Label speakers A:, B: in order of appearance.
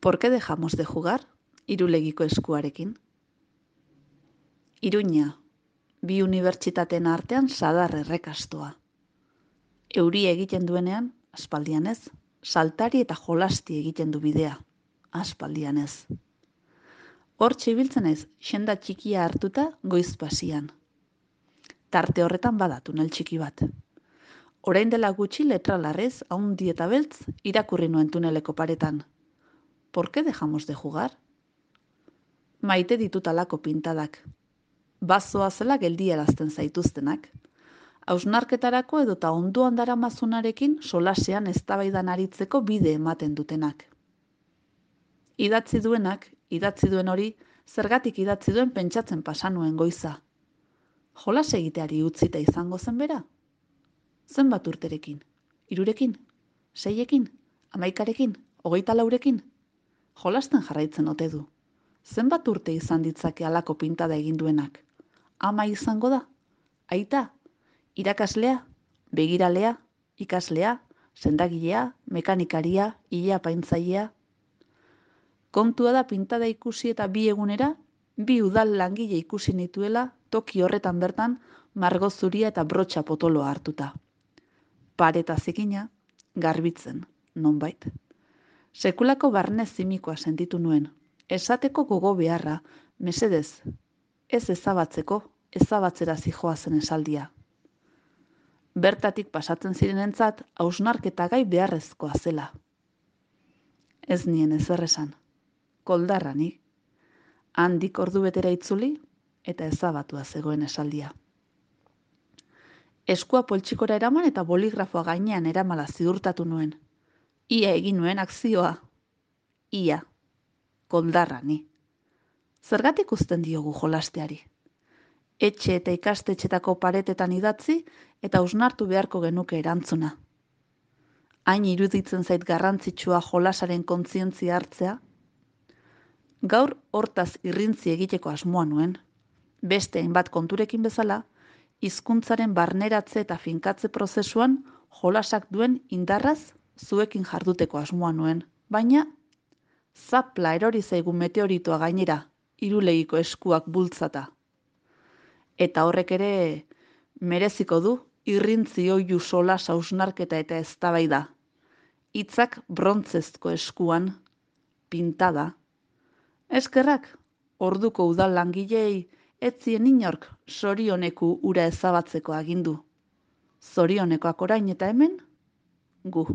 A: ¿Por qué dejamos de jugar? Irulegiko eskuarekin. Iruña, bi unibertsitateen artean sadar errekastoa. Euria egiten duenean, aspaldian ez, saltari eta jolasti egiten du bidea, aspaldian ez. Hortxe ibiltzen naiz, xenda txikia hartuta goiz pasian. Tarte horretan bada tunel txiki bat. Orain dela gutxi letra larrez, haundi eta beltz, irakurri nuen tuneleko paretan. ¿Por qué dejamos de jugar? Maite ditut alako pintadak. Bazoa zela geldiarazten zaituztenak. Hausnarketarako edota ondoan daramazunarekin solasean eztabaidan aritzeko bide ematen dutenak. Idatzi duenak, idatzi duen hori, zergatik idatzi duen pentsatzen pasa nuen goiza. Jolas egiteari utzita izango zen bera? Zenbat urterekin? 3rekin? 6ekin? 11ekin? 24ekin? Jolasten jarraitzen ote du. Zenbat urte izan ditzake halako pintada egin duenak? Ama izango da? Aita? Irakaslea? Begiralea? Ikaslea? Sendagilea? Mekanikaria? Ile-apaintzailea? Kontua da pintada ikusi eta 2 egunera, 2 udal langile ikusi nituela toki horretan bertan margo zuria eta brotxa potoloa hartuta. Pareta zikina, garbitzen, nonbait. Sekulako barne zimikoa sentitu nuen. Esateko gogo beharra, mesedez, ez ezabatzeko, ezabatzera zijoa zen esaldia. Bertatik pasatzen zirenentzat, hausnarketa gai beharrezkoa zela. Ez nien ezer esan. Koldarra ni. Handik ordu betera itzuli eta ezabatua zegoen esaldia. Eskua poltsikora eraman eta boligrafoa gainean eramala ziurtatu nuen. Ia egin nuen akzioa. Ia. Koldarra ni. Zergatik uzten diogu jolasteari? Etxe eta ikastetxetako paretetan idatzi eta hausnartu beharko genuke erantzuna. Hain iruditzen zait garrantzitsua jolasaren kontzientzia hartzea? Gaur hortaz irrintzi egiteko asmoa nuen. Beste hainbat konturekin bezala, hizkuntzaren barneratze eta finkatze prozesuan jolasak duen indarraz zuekin jarduteko asmoa nuen, baina zapla erori zaigu meteoritoa gainera, Irulegiko eskuak bultzata. Eta horrek ere mereziko du irrintzi oihu solas hausnarketa eta eztabaida. Hitzak brontzezko eskuan, pintada. Eskerrak, orduko udal langilei ez zien inork zorioneku ura ezabatzeko agindu. Zorionekoak orain eta hemen, gu.